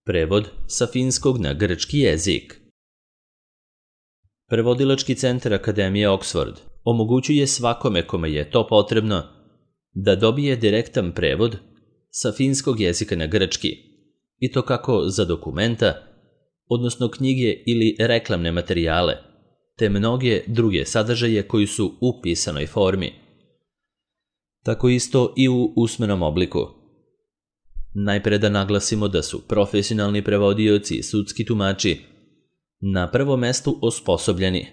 Prevod sa finskog na grčki jezik. Prevodilački centar Akademije Oxford omogućuje svakome kome je to potrebno da dobije direktan prevod sa finskog jezika na grčki, i to kako za dokumenta, odnosno knjige ili reklamne materijale, te mnoge druge sadržaje koji su u pisanoj formi. Tako isto i u usmenom obliku. Najpre da naglasimo da su profesionalni prevodioci i sudski tumači na prvom mestu osposobljeni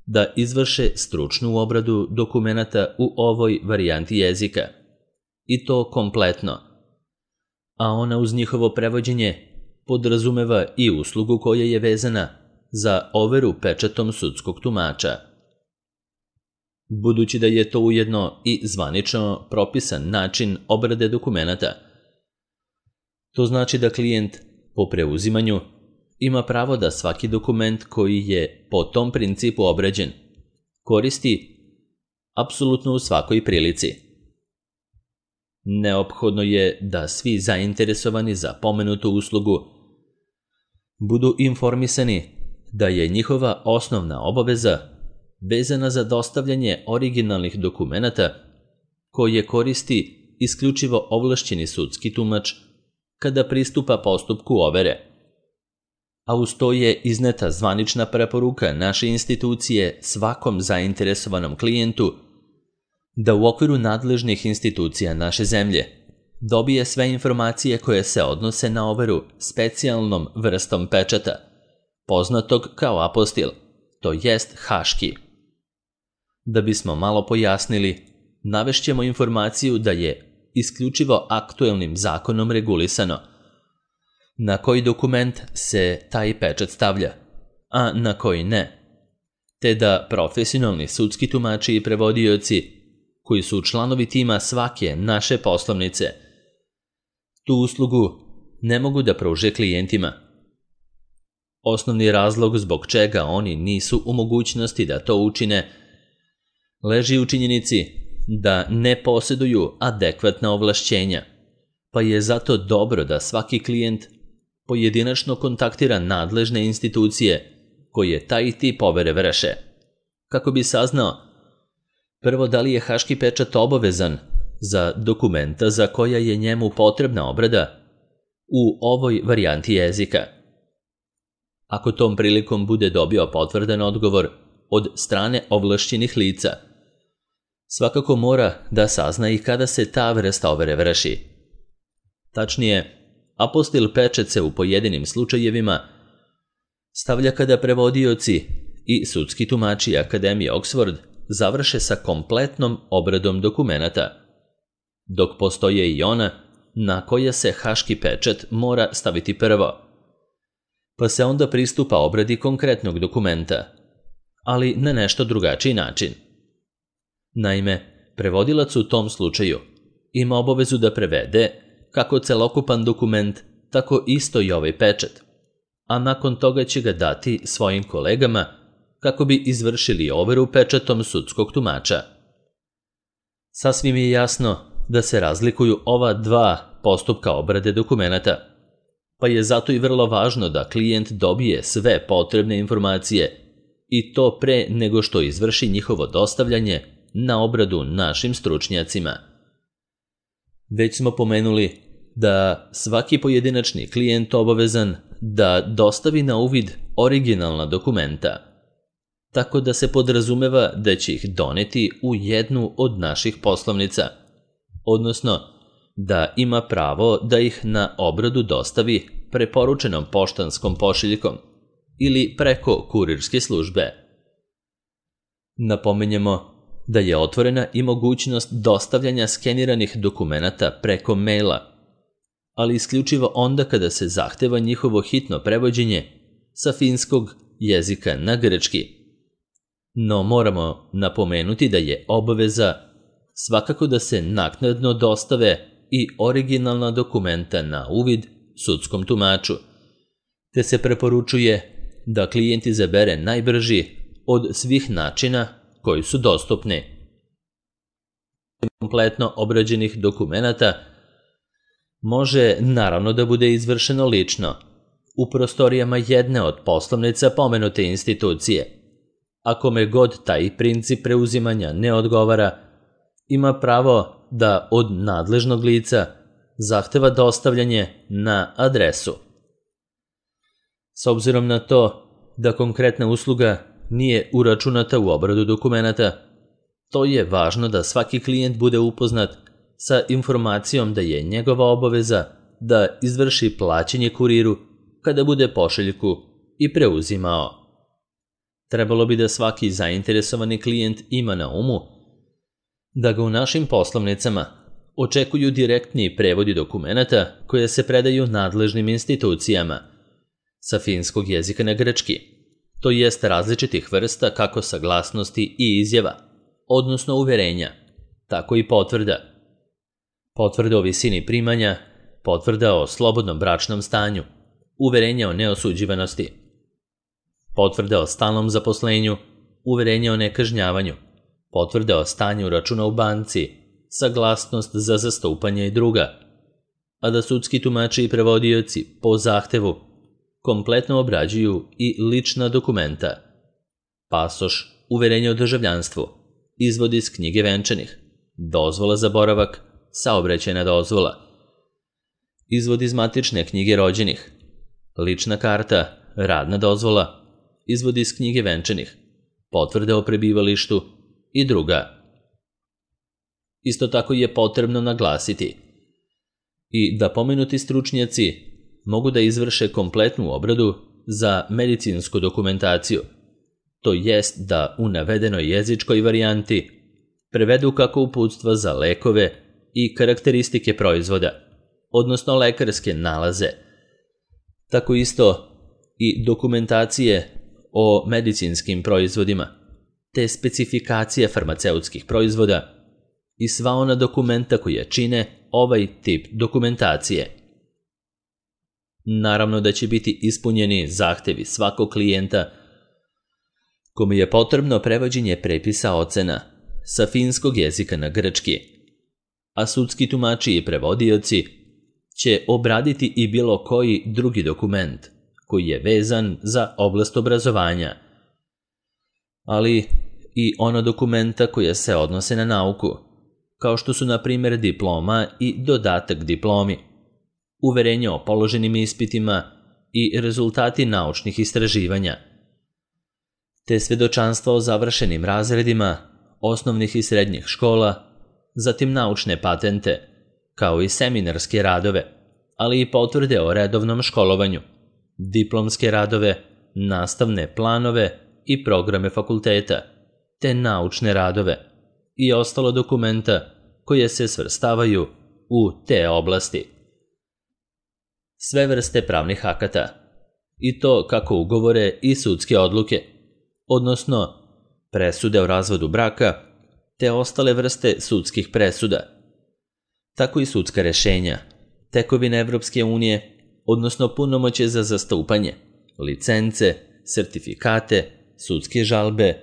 da izvrše stručnu obradu dokumenata u ovoj varijanti jezika, i to kompletno, a ona uz njihovo prevođenje podrazumeva i uslugu koja je vezana za overu pečatom sudskog tumača. Budući da je to ujedno i zvanično propisan način obrade dokumenata, to znači da klijent po preuzimanju ima pravo da svaki dokument koji je po tom principu obrađen koristi apsolutno u svakoj prilici. Neophodno je da svi zainteresovani za pomenutu uslugu budu informisani da je njihova osnovna obaveza vezana za dostavljanje originalnih dokumenata koje koristi isključivo ovlašćeni sudski tumač kada pristupa postupku overe, a uz to je izneta zvanična preporuka naše institucije svakom zainteresovanom klijentu da u okviru nadležnih institucija naše zemlje dobije sve informacije koje se odnose na overu specijalnom vrstom pečata, poznatog kao apostil, to jest haški. Da bismo malo pojasnili, navešćemo informaciju da je isključivo aktuelnim zakonom regulisano na koji dokument se taj pečat stavlja, a na koji ne, te da profesionalni sudski tumači i prevodioci, koji su članovi tima svake naše poslovnice, tu uslugu ne mogu da pruže klijentima. Osnovni razlog zbog čega oni nisu u mogućnosti da to učine leži u činjenici da ne posjeduju adekvatna ovlašćenja, pa je zato dobro da svaki klijent pojedinačno kontaktira nadležne institucije koje taj tip overe vrše, kako bi saznao prvo da li je haški pečat obavezan za dokumenta za koja je njemu potrebna obrada u ovoj varijanti jezika. Ako tom prilikom bude dobio potvrdan odgovor od strane ovlašćenih lica, svakako mora da sazna i kada se ta vrsta overe vrši. Tačnije, apostil pečat se u pojedinim slučajevima stavlja kada prevodioci i sudski tumači Akademije Oxford završe sa kompletnom obradom dokumenata, dok postoje i ona na koja se haški pečat mora staviti prvo, pa se onda pristupa obradi konkretnog dokumenta, ali na nešto drugačiji način. Naime, prevodilac u tom slučaju ima obavezu da prevede kako celokupan dokument, tako isto i ovaj pečat, a nakon toga će ga dati svojim kolegama kako bi izvršili overu pečatom sudskog tumača. Sasvim je jasno da se razlikuju ova dva postupka obrade dokumenata, pa je zato i vrlo važno da klijent dobije sve potrebne informacije i to pre nego što izvrši njihovo dostavljanje na obradu našim stručnjacima. Već smo pomenuli da svaki pojedinačni klijent obavezan da dostavi na uvid originalna dokumenta, tako da se podrazumeva da će ih doneti u jednu od naših poslovnica, odnosno da ima pravo da ih na obradu dostavi preporučenom poštanskom pošiljkom ili preko kurirske službe. Napominjemo da je otvorena i mogućnost dostavljanja skeniranih dokumenata preko maila, ali isključivo onda kada se zahteva njihovo hitno prevođenje sa finskog jezika na grčki. No moramo napomenuti da je obaveza svakako da se naknadno dostave i originalna dokumenta na uvid sudskom tumaču, te se preporučuje da klijent izabere najbrži od svih načina koji su dostupni. Kompletno obrađenih dokumenata može naravno da bude izvršeno lično, u prostorijama jedne od poslovnica pomenute institucije. A kome god taj princip preuzimanja ne odgovara, ima pravo da od nadležnog lica zahteva dostavljanje na adresu. S obzirom na to da konkretna usluga nije uračunata u obradu dokumenata, to je važno da svaki klijent bude upoznat sa informacijom da je njegova obaveza da izvrši plaćanje kuriru kada bude pošiljku i preuzimao. Trebalo bi da svaki zainteresovani klijent ima na umu da ga u našim poslovnicama očekuju direktni prevodi dokumenata koje se predaju nadležnim institucijama sa finskog jezika na grčki, to jest različitih vrsta kako saglasnosti i izjava, odnosno uverenja, tako i potvrda. Potvrda o visini primanja, potvrda o slobodnom bračnom stanju, uverenja o neosuđivanosti, potvrda o stalnom zaposlenju, uverenja o nekažnjavanju, potvrda o stanju računa u banci, saglasnost za zastupanje i druga, a da sudski tumači i prevodioci po zahtevu kompletno obrađuju i lična dokumenta, pasoš, uverenje o državljanstvu, izvod iz knjige venčanih, dozvola za boravak, saobraćajna dozvola, izvod iz matične knjige rođenih, lična karta, radna dozvola, izvod iz knjige venčanih, potvrde o prebivalištu i druga. Isto tako je potrebno naglasiti i da pomenuti stručnjaci mogu da izvrše kompletnu obradu za medicinsku dokumentaciju, to jest da u navedenoj jezičkoj varijanti prevedu kako uputstva za lekove i karakteristike proizvoda, odnosno lekarske nalaze, tako isto i dokumentacije o medicinskim proizvodima, te specifikacije farmaceutskih proizvoda i sva ona dokumenta koja čine ovaj tip dokumentacije. Naravno da će biti ispunjeni zahtevi svakog klijenta kome je potrebno prevođenje prepisa ocena sa finskog jezika na grčki, a sudski tumači i prevodioci će obraditi i bilo koji drugi dokument koji je vezan za oblast obrazovanja, ali i ona dokumenta koja se odnose na nauku, kao što su na primjer diploma i dodatak diplomi, uverenje o položenim ispitima i rezultati naučnih istraživanja, te svedočanstva o završenim razredima osnovnih i srednjih škola, zatim naučne patente, kao i seminarske radove, ali i potvrde o redovnom školovanju, diplomske radove, nastavne planove i programe fakulteta, te naučne radove i ostalo dokumenta koje se svrstavaju u te oblasti. Sve vrste pravnih akata, i to kako ugovore i sudske odluke, odnosno presude o razvodu braka, te ostale vrste sudskih presuda, tako i sudska rešenja, tekovine Evropske unije, odnosno punomoćje za zastupanje, licence, sertifikate, sudske žalbe,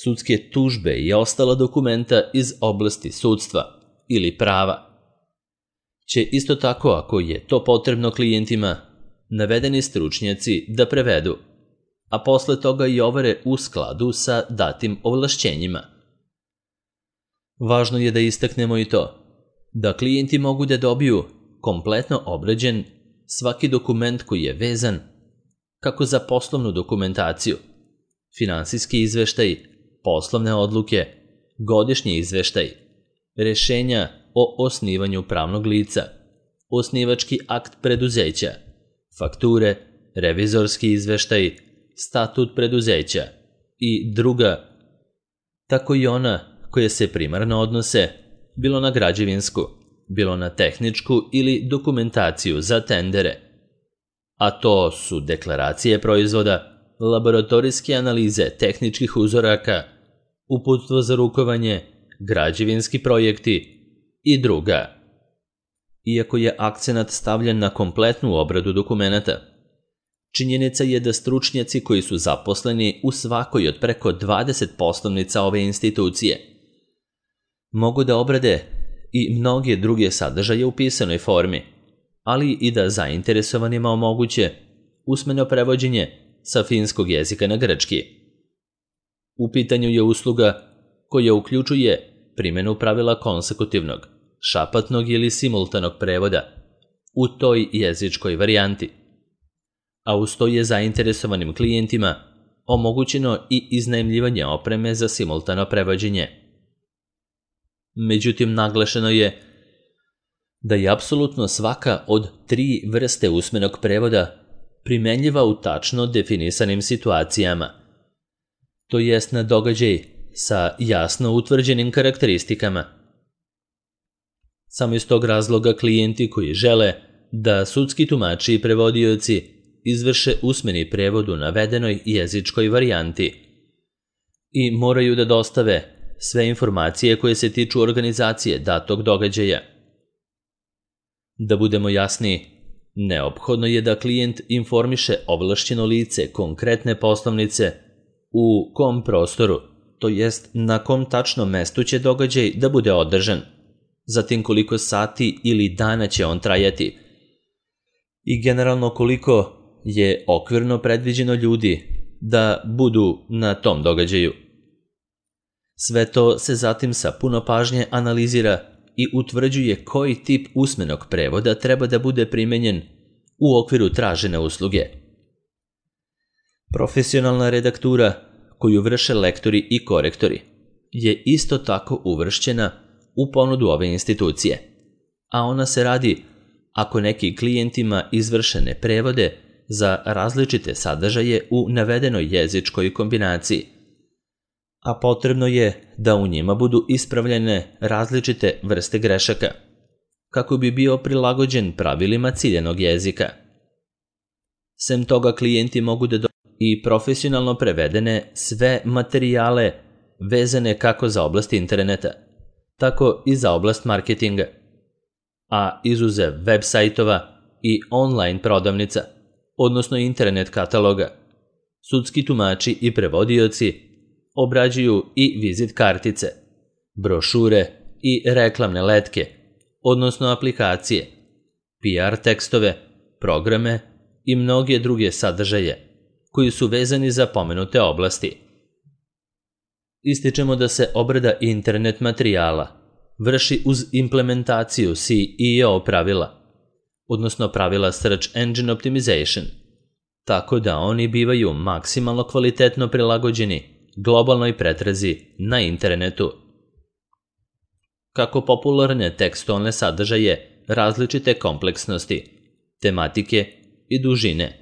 sudske tužbe i ostala dokumenta iz oblasti sudstva ili prava. Će isto tako, ako je to potrebno klijentima, navedeni stručnjaci da prevedu, a posle toga i overe u skladu sa datim ovlašćenjima. Važno je da istaknemo i to da klijenti mogu da dobiju kompletno obrađen svaki dokument koji je vezan kako za poslovnu dokumentaciju, finansijski izveštaj, poslovne odluke, godišnji izveštaj, rešenja o osnivanju pravnog lica, osnivački akt preduzeća, fakture, revizorski izveštaj, statut preduzeća i druga, tako i ona koje se primarno odnose bilo na građevinsku, bilo na tehničku ili dokumentaciju za tendere, a to su deklaracije proizvoda, laboratorijske analize tehničkih uzoraka, uputstvo za rukovanje, građevinski projekti i druga. Iako je akcenat stavljen na kompletnu obradu dokumenata, činjenica je da stručnjaci koji su zaposleni u svakoj od preko 20 poslovnica ove institucije mogu da obrade i mnoge druge sadržaje u pisanoj formi, ali i da zainteresovanima omoguće usmeno prevođenje sa finskog jezika na grčki. U pitanju je usluga koja uključuje primjenu pravila konsekutivnog, šapatnog ili simultanog prevoda u toj jezičkoj varijanti, a uz to je zainteresovanim klijentima omogućeno i iznajmljivanje opreme za simultano prevođenje. Međutim, naglašeno je da je apsolutno svaka od 3 vrste usmenog prevoda primenljiva u tačno definisanim situacijama, to jest na događaj sa jasno utvrđenim karakteristikama. Samo iz tog razloga klijenti koji žele da sudski tumači i prevodioci izvrše usmeni prevod u navedenoj jezičkoj varijanti i moraju da dostave sve informacije koje se tiču organizacije datog događaja. Da budemo jasni, neophodno je da klijent informiše ovlašćeno lice konkretne poslovnice u kom prostoru, to jest na kom tačnom mestu će događaj da bude održan, zatim koliko sati ili dana će on trajati i generalno koliko je okvirno predviđeno ljudi da budu na tom događaju. Sve to se zatim sa puno pažnje analizira i utvrđuje koji tip usmenog prevoda treba da bude primenjen u okviru tražene usluge. Profesionalna redaktura koju vrše lektori i korektori je isto tako uvršćena u ponudu ove institucije, a ona se radi ako neki klijentima izvršene prevode za različite sadržaje u navedenoj jezičkoj kombinaciji, a potrebno je da u njima budu ispravljene različite vrste grešaka, kako bi bio prilagođen pravilima ciljanog jezika. Sem toga, klijenti mogu da dobiju i profesionalno prevedene sve materijale vezane kako za oblast interneta, tako i za oblast marketinga, a izuzev web sajtova i online prodavnica, odnosno internet kataloga, sudski tumači i prevodioci obrađuju i vizit kartice, brošure i reklamne letke, odnosno aplikacije, PR tekstove, programe i mnoge druge sadržaje koji su vezani za pomenute oblasti. Ističemo da se obrada internet materijala vrši uz implementaciju SEO pravila, odnosno pravila Search Engine Optimization, tako da oni bivaju maksimalno kvalitetno prilagođeni globalnoj pretrazi na internetu. Kako popularne tekstualne sadržaje različite kompleksnosti, tematike i dužine,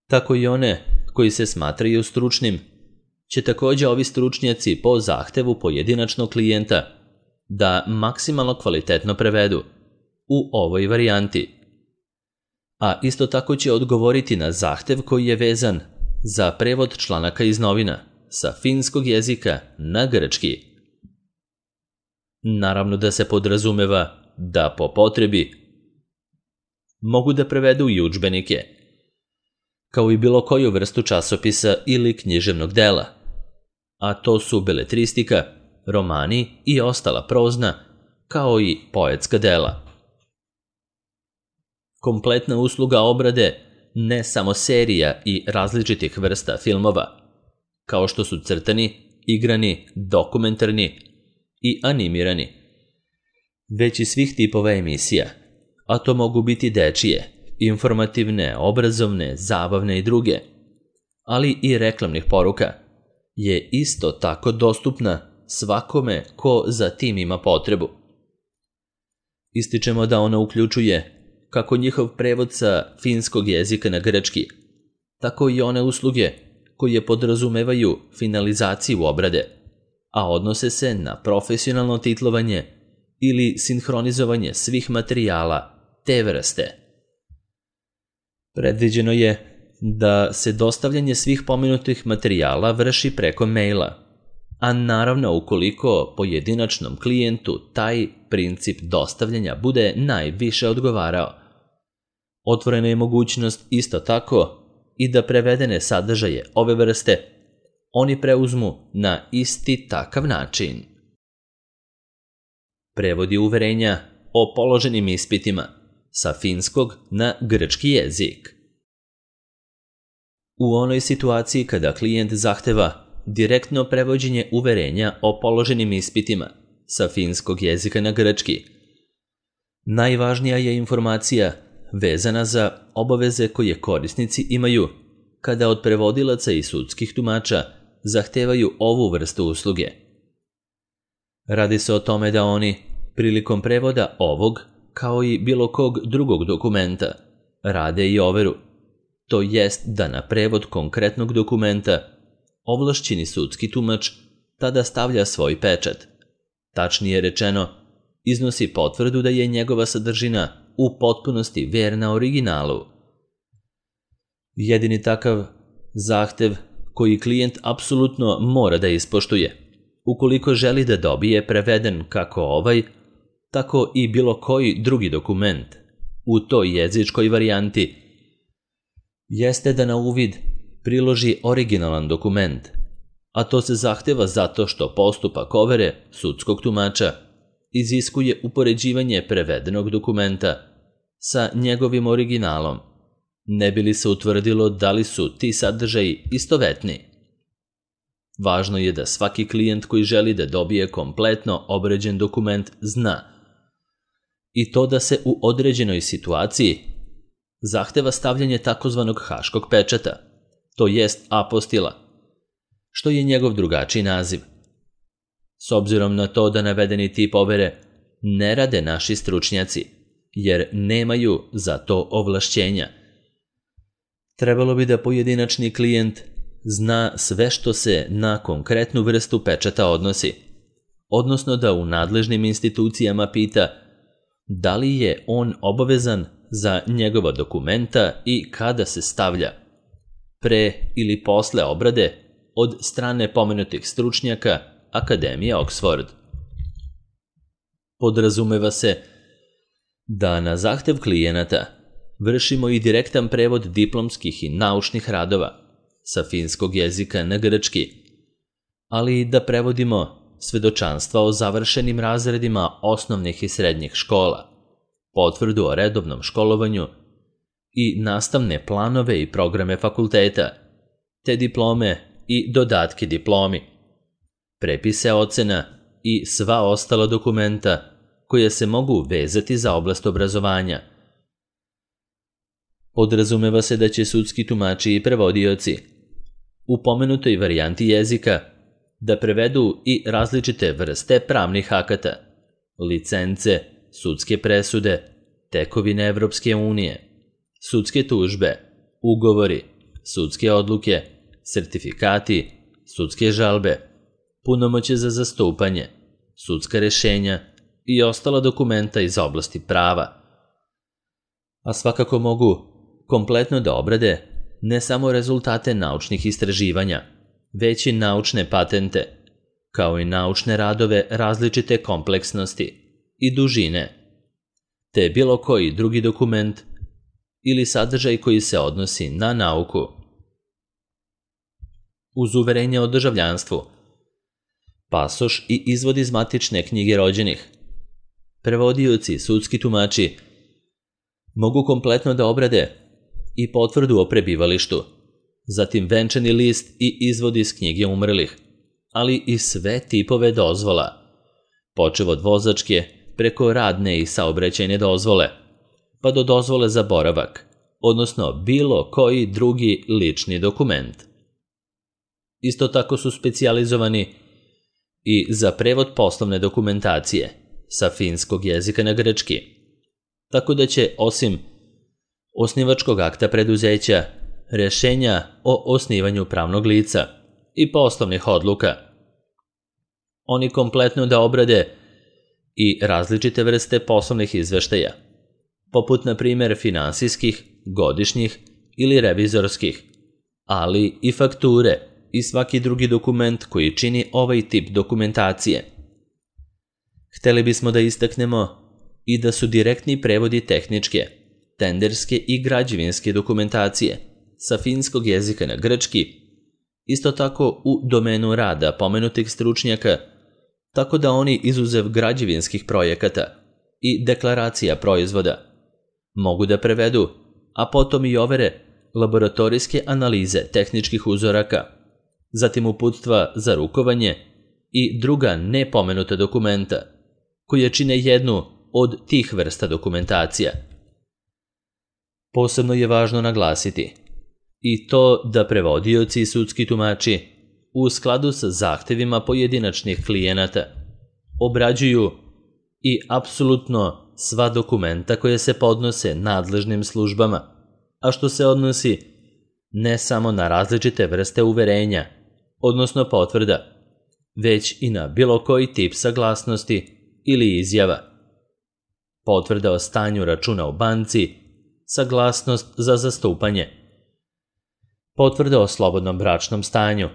tako i one koji se smatraju stručnim, će također ovi stručnjaci po zahtevu pojedinačnog klijenta da maksimalno kvalitetno prevedu u ovoj varijanti, a isto tako će odgovoriti na zahtev koji je vezan za prevod članaka iz novina sa finskog jezika na grčki. Naravno da se podrazumeva da po potrebi mogu da prevedu i udžbenike, kao i bilo koju vrstu časopisa ili književnog dela, a to su beletristika, romani i ostala prozna, kao i poetska dela. Kompletna usluga obrade ne samo serija i različitih vrsta filmova, kao što su crtani, igrani, dokumentarni i animirani, već i svih tipova emisija, a to mogu biti dečije, informativne, obrazovne, zabavne i druge, ali i reklamnih poruka, je isto tako dostupna svakome ko za tim ima potrebu. Ističemo da ona uključuje kako njihov prevod sa finskog jezika na grčki, tako i one usluge koje podrazumevaju finalizaciju obrade, a odnose se na profesionalno titlovanje ili sinhronizovanje svih materijala te vrste. Predviđeno je da se dostavljanje svih pomenutih materijala vrši preko maila, a naravno ukoliko pojedinačnom klijentu taj princip dostavljanja bude najviše odgovarao. Otvorena je mogućnost isto tako i da prevedene sadržaje ove vrste oni preuzmu na isti takav način. Prevodi uverenja o položenim ispitima sa finskog na grčki jezik. U onoj situaciji kada klijent zahteva direktno prevođenje uverenja o položenim ispitima sa finskog jezika na grčki, najvažnija je informacija vezana za obaveze koje korisnici imaju kada od prevodilaca i sudskih tumača zahtevaju ovu vrstu usluge. Radi se o tome da oni, prilikom prevoda ovog, kao i bilo kog drugog dokumenta, rade i overu, to jest da na prevod konkretnog dokumenta ovlašćeni sudski tumač tada stavlja svoj pečat. Tačnije rečeno, iznosi potvrdu da je njegova sadržina u potpunosti verna originalu. Jedini takav zahtev koji klijent apsolutno mora da ispoštuje, ukoliko želi da dobije preveden kako ovaj, tako i bilo koji drugi dokument u toj jezičkoj varijanti, jeste da na uvid priloži originalan dokument, a to se zahteva zato što postupak overe sudskog tumača iziskuje upoređivanje prevedenog dokumenta sa njegovim originalom, ne bi li se utvrdilo da li su ti sadržaji istovetni. Važno je da svaki klijent koji želi da dobije kompletno obrađen dokument zna i to da se u određenoj situaciji zahteva stavljanje takozvanog haškog pečata, to jest apostila, što je njegov drugačiji naziv. S obzirom na to da navedeni tip overe ne rade naši stručnjaci, jer nemaju za to ovlašćenja, trebalo bi da pojedinačni klijent zna sve što se na konkretnu vrstu pečata odnosi, odnosno da u nadležnim institucijama pita da li je on obavezan za njegova dokumenta i kada se stavlja, pre ili posle obrade od strane pomenutih stručnjaka Akademije Oxford. Podrazumeva se da na zahtev klijenata vršimo i direktan prevod diplomskih i naučnih radova sa finskog jezika na grčki, ali i da prevodimo svedočanstva o završenim razredima osnovnih i srednjih škola, potvrdu o redovnom školovanju i nastavne planove i programe fakulteta, te diplome i dodatke diplomi, prepise ocena i sva ostala dokumenta koja se mogu vezati za oblast obrazovanja. Podrazumeva se da će sudski tumači i prevodioci u pomenutoj varijanti jezika da prevedu i različite vrste pravnih akata, licence, sudske presude, tekovine Evropske unije, sudske tužbe, ugovori, sudske odluke, sertifikati, sudske žalbe, punomoćje za zastupanje, sudska rešenja i ostala dokumenta iz oblasti prava. A svakako mogu kompletno da obrade ne samo rezultate naučnih istraživanja, već i naučne patente, kao i naučne radove različite kompleksnosti i dužine, te bilo koji drugi dokument ili sadržaj koji se odnosi na nauku. Uz uverenje o državljanstvu, pasoš i izvod iz matične knjige rođenih, prevodioci i sudski tumači mogu kompletno da obrade i potvrdu o prebivalištu, zatim venčani list i izvod iz knjige umrlih, ali i sve tipove dozvola, počev od vozačke preko radne i saobraćajne dozvole, pa do dozvole za boravak, odnosno bilo koji drugi lični dokument. Isto tako su specijalizovani i za prevod poslovne dokumentacije sa finskog jezika na grčki, tako da će osim osnivačkog akta preduzeća, rešenja o osnivanju pravnog lica i poslovnih odluka, oni kompletno da obrade i različite vrste poslovnih izveštaja, poput na primjer finansijskih, godišnjih ili revizorskih, ali i fakture i svaki drugi dokument koji čini ovaj tip dokumentacije. Hteli bismo da istaknemo i da su direktni prevodi tehničke, tenderske i građevinske dokumentacije sa finskog jezika na grčki isto tako u domenu rada pomenutih stručnjaka, tako da oni izuzev građevinskih projekata i deklaracija proizvoda mogu da prevedu, a potom i overe laboratorijske analize tehničkih uzoraka, zatim uputstva za rukovanje i druga nepomenuta dokumenta, koje čine jednu od tih vrsta dokumentacija. Posebno je važno naglasiti i to da prevodioci i sudski tumači u skladu sa zahtevima pojedinačnih klijenata obrađuju i apsolutno sva dokumenta koje se podnose nadležnim službama, a što se odnosi ne samo na različite vrste uverenja, odnosno potvrda, već i na bilo koji tip saglasnosti ili izjava. Potvrda o stanju računa u banci, saglasnost za zastupanje, potvrda o slobodnom bračnom stanju,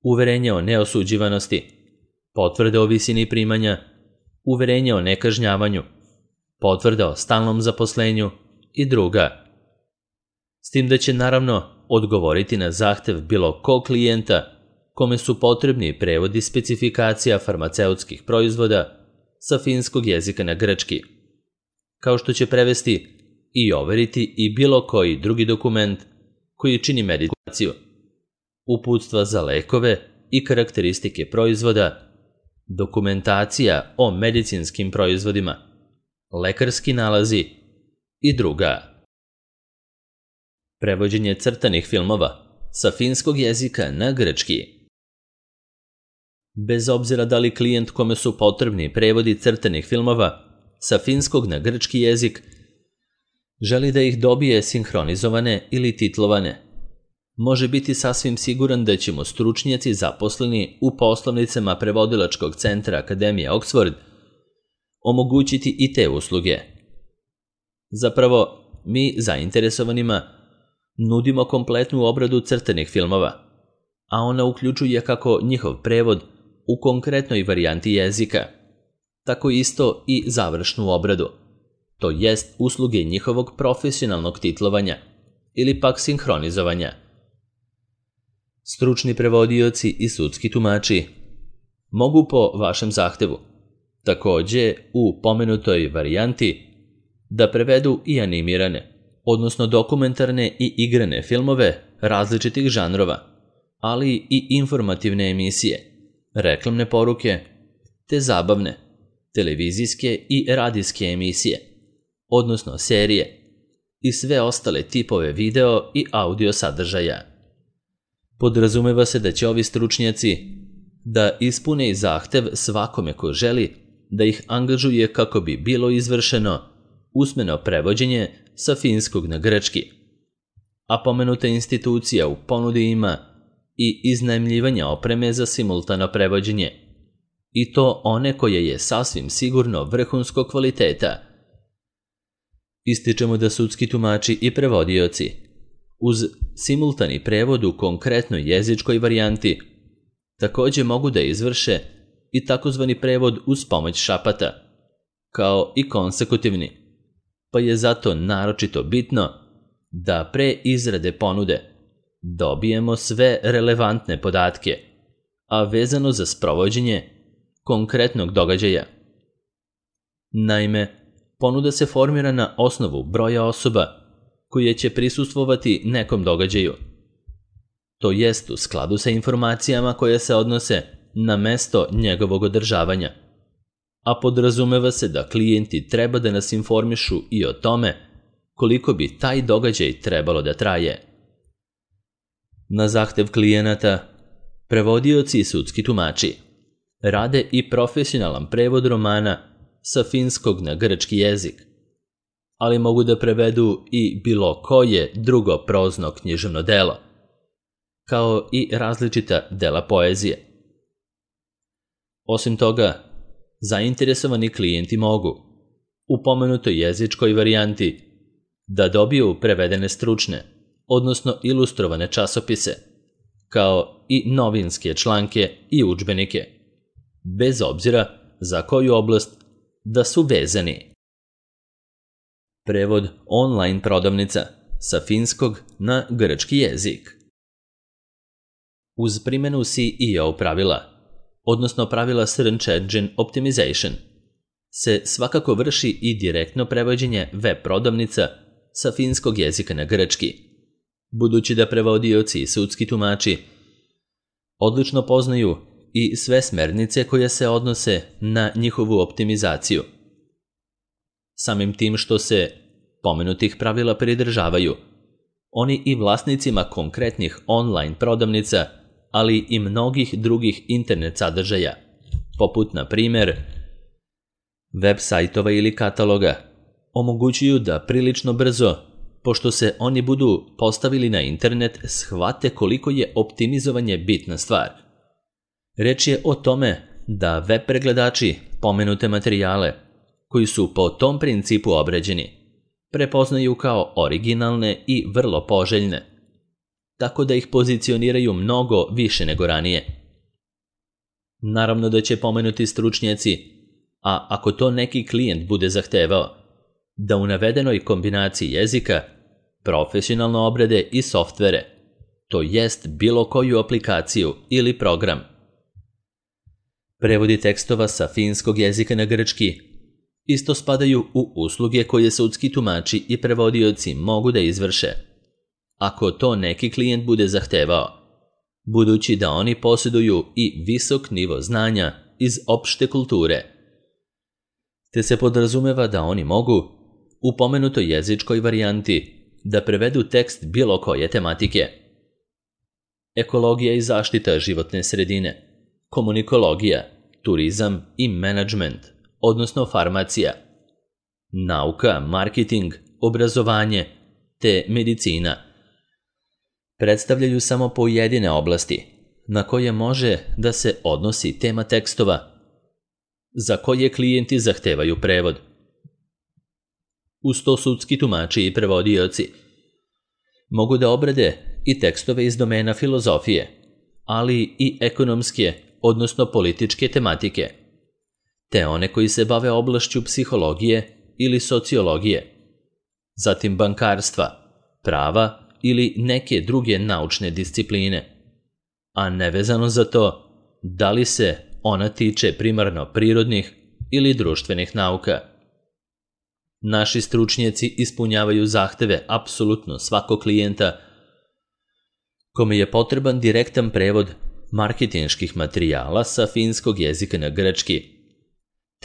uverenje o neosuđivanosti, potvrda o visini primanja, uverenje o nekažnjavanju, potvrda o stalnom zaposlenju i druga. S tim da će naravno odgovoriti na zahtev bilo kog klijenta kome su potrebni prevodi specifikacija farmaceutskih proizvoda sa finskog jezika na grčki, kao što će prevesti i overiti i bilo koji drugi dokument koji čini medikaciju, uputstva za lekove i karakteristike proizvoda, dokumentacija o medicinskim proizvodima, lekarski nalazi i druga. Prevođenje crtanih filmova sa finskog jezika na grčki. Bez obzira da li klijent kome su potrebni prevodi crtanih filmova sa finskog na grčki jezik želi da ih dobije sinhronizovane ili titlovane, može biti sasvim siguran da će mu stručnjaci zaposleni u poslovnicama prevodilačkog centra Akademije Oxford omogućiti i te usluge. Zapravo, mi zainteresovanima nudimo kompletnu obradu crtanih filmova, a ona uključuje kako njihov prevod u konkretnoj varijanti jezika, tako isto i završnu obradu, to jest usluge njihovog profesionalnog titlovanja ili pak sinhronizovanja. Stručni prevodioci i sudski tumači mogu po vašem zahtevu, takođe u pomenutoj varijanti, da prevedu i animirane, odnosno dokumentarne i igrane filmove različitih žanrova, ali i informativne emisije, reklamne poruke, te zabavne, televizijske i radijske emisije, odnosno serije, i sve ostale tipove video i audio sadržaja. Podrazumeva se da će ovi stručnjaci da ispune i zahtev svakome ko želi da ih angažuje kako bi bilo izvršeno usmeno prevođenje sa finskog na grčki, a pomenuta institucija u ponudi ima i iznajmljivanja opreme za simultano prevođenje, i to one koje je sasvim sigurno vrhunskog kvaliteta. Ističemo da sudski tumači i prevodioci uz simultani prevod u konkretnoj jezičkoj varijanti takođe mogu da izvrše i takozvani prevod uz pomoć šapata, kao i konsekutivni, pa je zato naročito bitno da pre izrade ponude dobijemo sve relevantne podatke, a vezano za sprovođenje konkretnog događaja. Naime, ponuda se formira na osnovu broja osoba koje će prisustvovati nekom događaju, to jest u skladu sa informacijama koje se odnose na mesto njegovog održavanja, a podrazumeva se da klijenti treba da nas informišu i o tome koliko bi taj događaj trebalo da traje. Na zahtev klijenata, prevodioci i sudski tumači rade i profesionalan prevod romana sa finskog na grčki jezik, ali mogu da prevedu i bilo koje drugo prozno književno delo, kao i različita dela poezije. Osim toga, zainteresovani klijenti mogu, u pomenutoj jezičkoj varijanti, da dobiju prevedene stručne, odnosno ilustrovane časopise, kao i novinske članke i udžbenike, bez obzira za koju oblast da su vezani. Prevod online prodavnica sa finskog na grčki jezik. Uz primjenu SEO pravila, odnosno pravila Search Engine Optimization, se svakako vrši i direktno prevođenje web prodavnica sa finskog jezika na grčki, budući da prevodioci i sudski tumači odlično poznaju i sve smernice koje se odnose na njihovu optimizaciju. Samim tim što se pomenutih pravila pridržavaju, oni i vlasnicima konkretnih online prodavnica, ali i mnogih drugih internet sadržaja, poput na primjer web sajtova ili kataloga, omogućuju da prilično brzo, pošto se oni budu postavili na internet, shvate koliko je optimizovanje bitna stvar. Reč je o tome da web pregledači pomenute materijale, koji su po tom principu obrađeni, prepoznaju kao originalne i vrlo poželjne, tako da ih pozicioniraju mnogo više nego ranije. Naravno da će pomenuti stručnjaci, a ako to neki klijent bude zahtevao, da u navedenoj kombinaciji jezika profesionalno obrade i softvere, to jest bilo koju aplikaciju ili program. Prevodi tekstova sa finskog jezika na grčki isto spadaju u usluge koje sudski tumači i prevodioci mogu da izvrše, ako to neki klijent bude zahtevao, budući da oni posjeduju i visok nivo znanja iz opšte kulture, te se podrazumeva da oni mogu u pomenutoj jezičkoj varijanti da prevedu tekst bilo koje tematike. Ekologija i zaštita životne sredine, komunikologija, turizam i menadžment, odnosno farmacija, nauka, marketing, obrazovanje te medicina, predstavljaju samo pojedine oblasti na koje može da se odnosi tema tekstova za koje klijenti zahtevaju prevod. Uz to sudski tumači i prevodioci mogu da obrade i tekstove iz domena filozofije, ali i ekonomske, odnosno političke tematike, te one koji se bave oblašću psihologije ili sociologije, zatim bankarstva, prava ili neke druge naučne discipline, a nevezano za to da li se ona tiče primarno prirodnih ili društvenih nauka. Naši stručnjaci ispunjavaju zahteve apsolutno svakog klijenta kome je potreban direktan prevod marketinških materijala sa finskog jezika na grčki,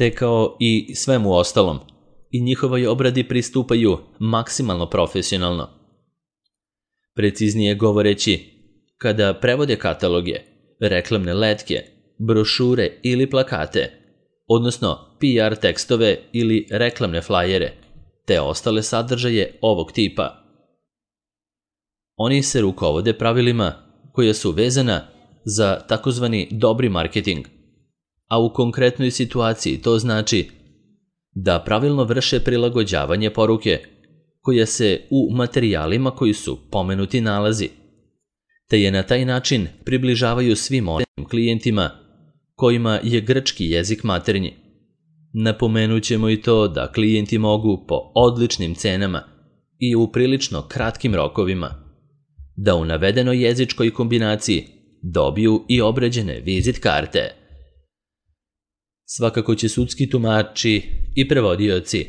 te kao i svemu ostalom i njihovoj obradi pristupaju maksimalno profesionalno. Preciznije govoreći, kada prevode kataloge, reklamne letke, brošure ili plakate, odnosno PR tekstove ili reklamne flajere, te ostale sadržaje ovog tipa, oni se rukovode pravilima koja su vezana za takozvani dobri marketing, a u konkretnoj situaciji to znači da pravilno vrše prilagođavanje poruke koja se u materijalima koji su pomenuti nalazi, te je na taj način približavaju svim onim klijentima kojima je grčki jezik maternji. Napomenut ćemo i to da klijenti mogu po odličnim cenama i u prilično kratkim rokovima da u navedenoj jezičkoj kombinaciji dobiju i obrađene vizit karte. Svakako će sudski tumači i prevodioci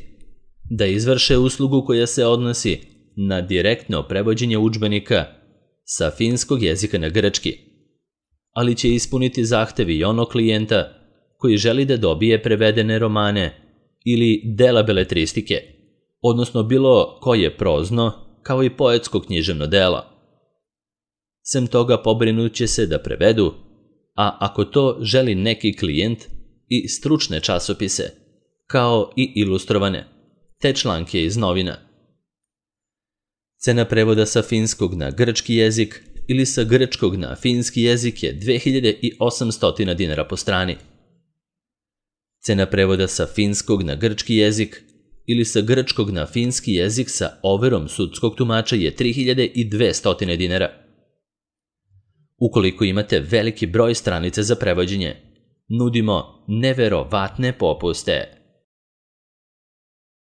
da izvrše uslugu koja se odnosi na direktno prevođenje udžbenika sa finskog jezika na grčki, ali će ispuniti zahtevi i onog klijenta koji želi da dobije prevedene romane ili dela beletristike, odnosno bilo koje prozno kao i poetsko književno delo. Sem toga pobrinut će se da prevedu, a ako to želi neki klijent, i stručne časopise, kao i ilustrovane, te članke iz novina. Cena prevoda sa finskog na grčki jezik ili sa grčkog na finski jezik je 2800 dinara po strani. Cena prevoda sa finskog na grčki jezik ili sa grčkog na finski jezik sa overom sudskog tumača je 3200 dinara. Ukoliko imate veliki broj stranica za prevođenje, nudimo neverovatne popuste.